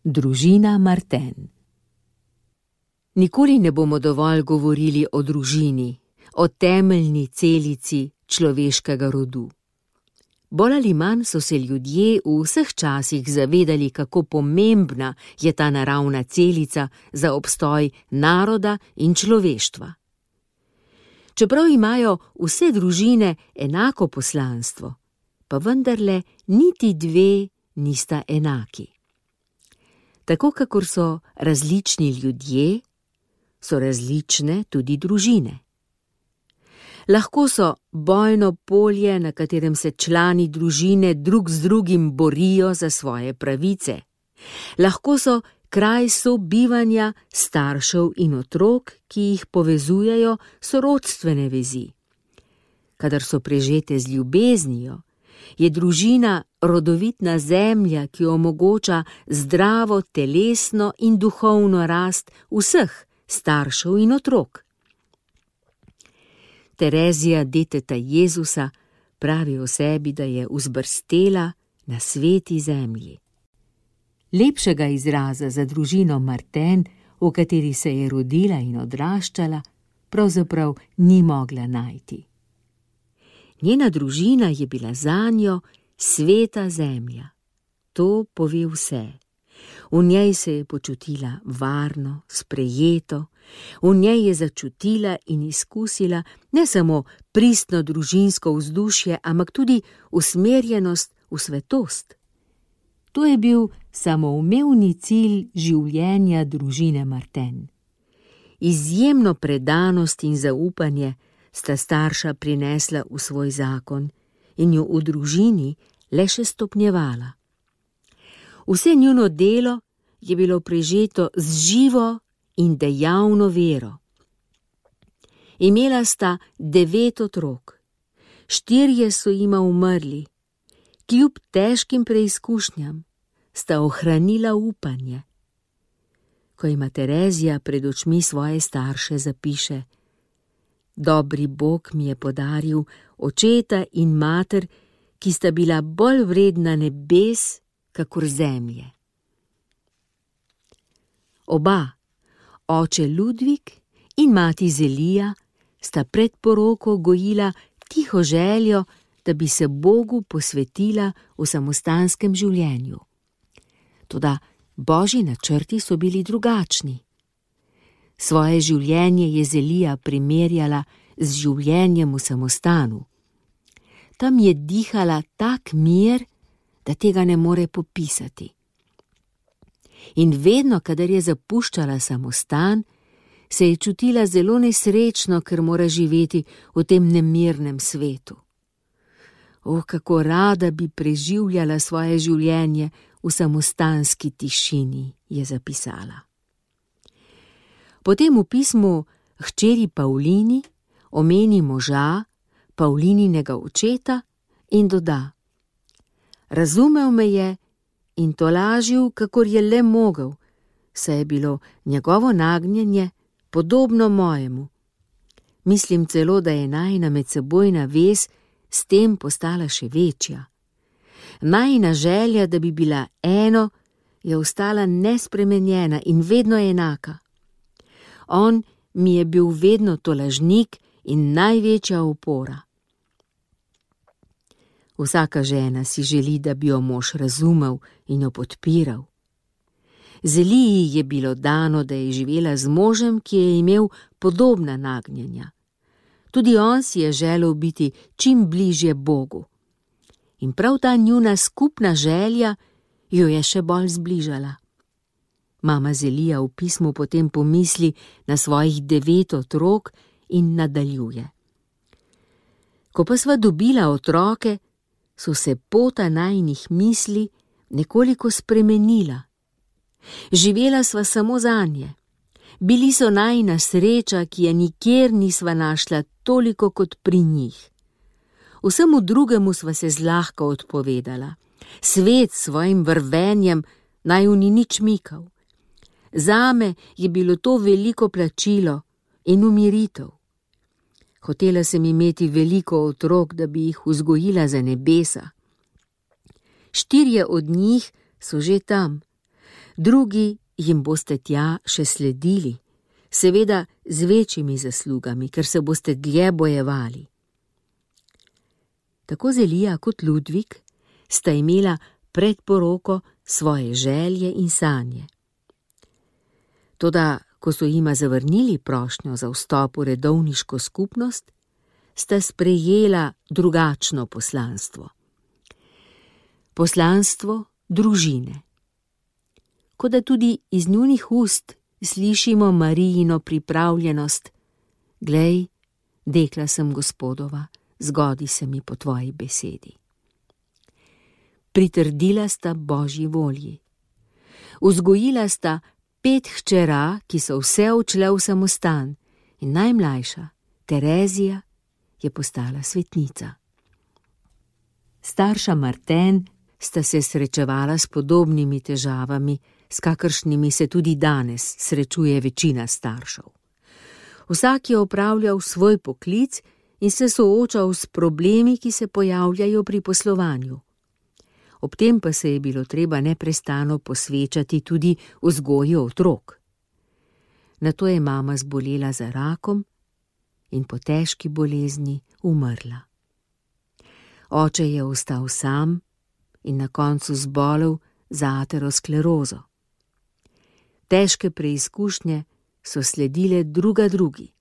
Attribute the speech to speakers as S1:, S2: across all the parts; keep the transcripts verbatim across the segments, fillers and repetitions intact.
S1: Družina Martin. Nikoli ne bomo dovolj govorili o družini, o temeljni celici človeškega rodu. Bolj ali manj so se ljudje v vseh časih zavedali, kako pomembna je ta naravna celica za obstoj naroda in človeštva. Čeprav imajo vse družine enako poslanstvo, pa vendarle niti dve nista enaki. Tako kakor so različni ljudje, so različne tudi družine. Lahko so bojno polje, na katerem se člani družine drug z drugim borijo za svoje pravice. Lahko so kraj sobivanja staršev in otrok, ki jih povezujejo sorodstvene vezi. Kadar so prežete z ljubeznijo, je družina rodovitna zemlja, ki omogoča zdravo telesno in duhovno rast vseh staršev in otrok. Terezija, deteta Jezusa, pravi o sebi, da je vzbrstela na sveti zemlji. Lepšega izraza za družino Martin, v kateri se je rodila in odraščala, pravzaprav ni mogla najti. Njena družina je bila zanjo sveta zemlja. To pove vse. V njej se je počutila varno, sprejeto, v njej je začutila in izkusila ne samo pristno družinsko vzdušje, ampak tudi usmerjenost v svetost. To je bil samoumevni cilj življenja družine Martin. Izjemno predanost in zaupanje sta starša prinesla v svoj zakon in jo v družini le še stopnjevala. Vse njuno delo je bilo prežeto z živo in dejavno vero. Imela sta devet otrok, štirje so jima umrli, kljub težkim preizkušnjam sta ohranila upanje. Ko ima Terezija pred očmi svoje starše, zapiše: Dobri Bog mi je podaril očeta in mater, ki sta bila bolj vredna nebes kakor zemlje. Oba, oče Ludvik in mati Zelija, sta pred poroko gojila tiho željo, da bi se Bogu posvetila v samostanskem življenju. Toda Božji načrti so bili drugačni. Svoje življenje je Zelija primerjala z življenjem v samostanu. Tam je dihala tak mir, da tega ne more popisati. In vedno, kadar je zapuščala samostan, se je čutila zelo nesrečno, ker mora živeti v tem nemirnem svetu. O, kako rada bi preživljala svoje življenje v samostanski tišini, je zapisala. Potem v pismu hčeri Pavlini omeni moža, Pavlininega očeta, in doda: Razumel me je in tolažil, kakor je le mogel, saj je bilo njegovo nagnjenje podobno mojemu. Mislim celo, da je najina medsebojna vez s tem postala še večja. Najina želja, da bi bila eno, je ostala nespremenjena in vedno enaka. On mi je bil vedno tolažnik in največja opora. Vsaka žena si želi, da bi jo mož razumel in jo podpiral. Zeliji je bilo dano, da je živela z možem, ki je imel podobna nagnjenja. Tudi on si je želel biti čim bližje Bogu. In prav ta njuna skupna želja jo je še bolj zbližala. Mama Zelija v pismu potem pomisli na svojih devet otrok in nadaljuje: Ko pa sva dobila otroke, so se pota najinih misli nekoliko spremenila. Živela sva samo zanje. Bili so najina sreča, ki je nikjer nisva našla toliko kot pri njih. Vsemu drugemu sva se zlahka odpovedala. Svet s svojim vrvenjem naju ni nič mikal. Zame je bilo to veliko plačilo in umiritev. Hotela sem imeti veliko otrok, da bi jih vzgojila za nebesa. Štirje od njih so že tam. drugi jim boste tja še sledili, seveda z večjimi zaslugami, ker se boste dlje bojevali. Tako Zelija kot Ludvik sta imela pred poroko svoje želje in sanje. Toda, ko so jima zavrnili prošnjo za vstop v redovniško skupnost, sta sprejela drugačno poslanstvo. Poslanstvo družine. Kot da tudi iz njunih ust slišimo Marijino pripravljenost: glej, dekla sem Gospodova, zgodi se mi po tvoji besedi. Pritrdila sta Božji volji. Vzgojila sta pet hčera, ki so vse odšle v samostan, in najmlajša, Terezija, je postala svetnica. Starša Marten sta se srečevala s podobnimi težavami, s kakršnimi se tudi danes srečuje večina staršev. Vsak je opravljal svoj poklic in se soočal s problemi, ki se pojavljajo pri poslovanju. Ob tem pa se je bilo treba neprestano posvečati tudi vzgoji otrok. Nato je mama zbolela za rakom in po težki bolezni umrla. Oče je ostal sam in na koncu zbolel za aterosklerozo. Težke preizkušnje so sledile druga drugi.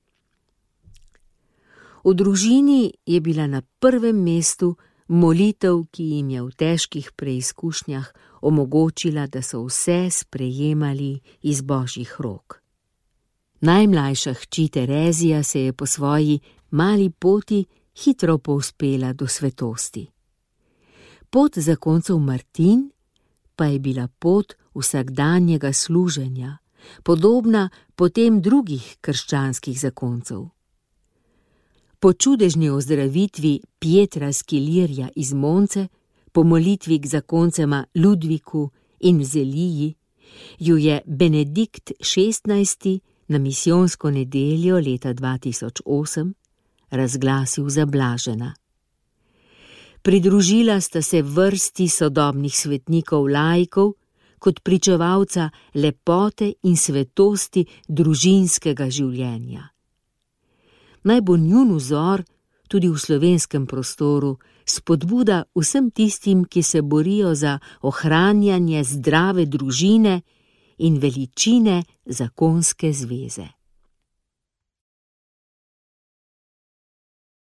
S1: V družini je bila na prvem mestu molitev, ki jim je v težkih preizkušnjah omogočila, da so vse sprejemali iz Božjih rok. Najmlajša hči Terezija se je po svoji mali poti hitro povzpela do svetosti. Pot zakoncev Martin pa je bila pot vsakdanjega služenja, podobna potem drugih krščanskih zakoncev. Po čudežni ozdravitvi Pietra Skilirja iz Monce, po molitvi k zakoncema Ludviku in Zeliji, ju je Benedikt šestnajsti na misijonsko nedeljo leta dva tisoč osem razglasil za blažena. Pridružila sta se vrsti sodobnih svetnikov laikov kot pričevalca lepote in svetosti družinskega življenja. Naj bo njun vzor tudi v slovenskem prostoru spodbuda vsem tistim, ki se borijo za ohranjanje zdrave družine in veličine zakonske zveze.